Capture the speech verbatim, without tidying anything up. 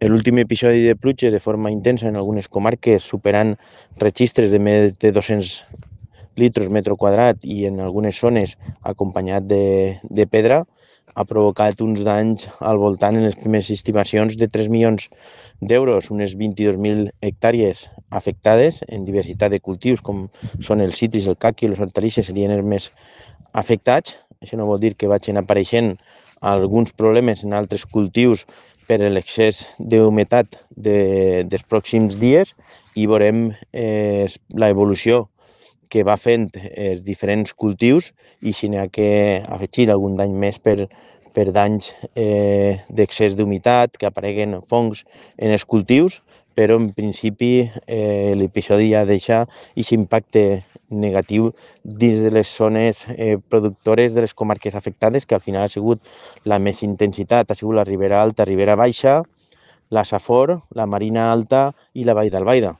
L'últim episodi de pluja de forma intensa en algunes comarques, superant registres de més de dos-cents litres metre quadrat i en algunes zones acompanyat de, de pedra, ha provocat uns danys al voltant en les primeres estimacions de tres milions d'euros, unes vint-i-dos mil hectàrees afectades en diversitat de cultius, com són els citris, el caqui i les hortalisses serien els més afectats. Això no vol dir que vagin apareixent alguns problemes en altres cultius per l'excés d'humitat de, dels pròxims dies i veurem eh, l'evolució que va fent els diferents cultius i si n'hi ha que afegir algun dany més per, per danys eh, d'excés d'humitat, que apareguen fongs en els cultius, però en principi eh, l'episodi ja deixa aquest impacte negatiu dins de les zones eh, productores de les comarques afectades, que al final ha sigut la més intensitat, ha sigut la Ribera Alta, Ribera Baixa, la Safor, la Marina Alta i la Vall d'Albaida.